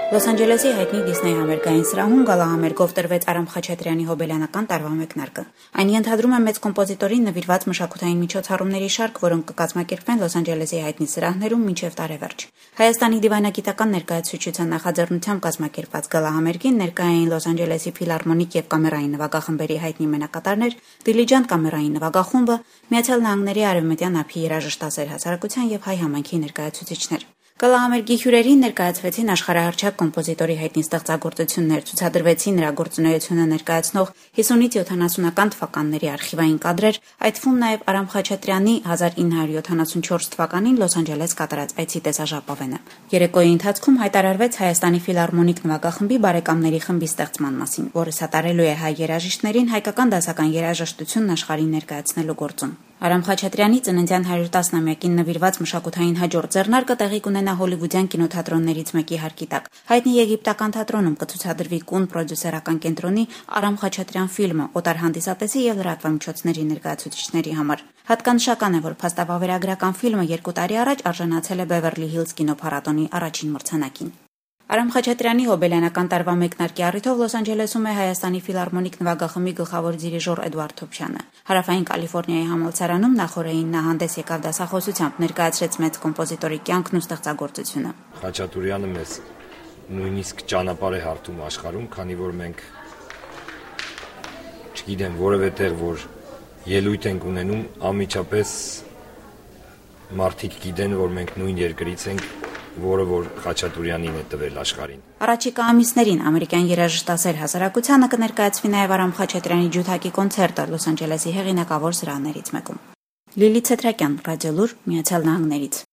Լոս Անջելեսի հայտնի Դիսնեյ համերգային սրահում գալահամերգով տրվեց Արամ Խաչատրյանի հոբելյանական տարվա մեկնարկը։ Այն ենթադրում է մեծ կոմպոզիտորին նվիրված մշակութային միջոցառումների շարք, որոնք կկազմակերպվեն Լոս Անջելեսի հայտնի սրահներում մինչև տարեվերջ։ Հայաստանի դիվանագիտական ներկայացուցչության նախաձեռնությամբ կազմակերպված գալահամերգին ներկայ էին Լոս Անջելեսի ֆիլհարմոնիկ եւ կամերային նվագախմբերի հայտնի մենակատարներ, Դիլիջան կամերային նվագախումբը, Միացյալ Նահանգների արևմտյան ափի երաժշտասեր հասարակության եւ հայ համայնքի ներկայացուցիչներ։ Գալահամերգի հյուրերին ներկայացվեցին աշխարհահռչակ կոմպոզիտորի հայտնի ստեղծագործություններ, ցուցադրվեցին նրա գործունեությունը ներկայացնող 50-ից 70-ական թվականների արխիվային կադրեր, այդ թվում նաև Արամ Խաչատրյանի 1974 թվականին Լոս Անջելես կատարած այցի տեսաժապավենը։ Երեկոյի ընթացքում հայտարարվեց Հայաստանի ֆիլհարմոնիկ նվագախմբի բարեկամների խմբի ստեղծման մասին, որը սատարելու է հայ երաժիշտներին հայկական դասական երաժշտությունն աշխարհին ներկայացնելու գործում։ Արամ Խաչատրյանի ծննդյան 110-ամյակին նվիրված մշակութային հաջորդ ձեռնարկը տեղի կունենա հոլիվուդյան կինոթատրոններից մեկի հարկի տակ։ Հայտնի եգիպտական թատրոնում կցուցադրվի կուն պրոդյուսերական կենտրոնի Արամ Խաչատրյան ֆիլմը օտար հանդիսատեսի եւ լրատվամիջոցների ներկայացուցիչների համար։ Հատկանշական է, որ փաստավավերագրական ֆիլմը 2 տարի առաջ արժանացել է Բևերլի Հիլզ կինոփառատոնի առաջին մրցանակին։ Արամ Խաչատրյանի հոբելյանական տարվա մեկնարկի առիթով Լոս Անջելեսում է Հայաստանի ֆիլհարմոնիկ նվագախմբի գլխավոր դիրիժոր Էդվարդ Թոփչյանը։ Հարավային Կալիֆոռնիայի համալսարանում նախօրեին նա հանդես եկավ դասախոսությամբ, ներկայացրեց մեծ կոմպոզիտորի կյանքն ու ստեղծագործությունը։ Խաչատուրյանը մեզ նույնիսկ ճանապարհ է հարթում աշխարհում, քանի որ մենք չգիտեմ որևէ տեղ, որ ելույթ ենք ունենում, անմիջապես մարդիկ գիտեն, որ մենք նույն երկրից ենք, որը որ Խաչատուրյանին է տվել աշխարհին։ Առաջիկա ամիսներին ամերիկյան երաժշտասեր հասարակությանը կներկայացվի նաև Արամ Խաչատրյանի ջութակի կոնցերտը Լոս Անջելեսի հեղինակավոր սրահներից մեկում։ Լիլիթ Ցետրակյան, Ռադիոլուր, Միացյալ Նահանգներից։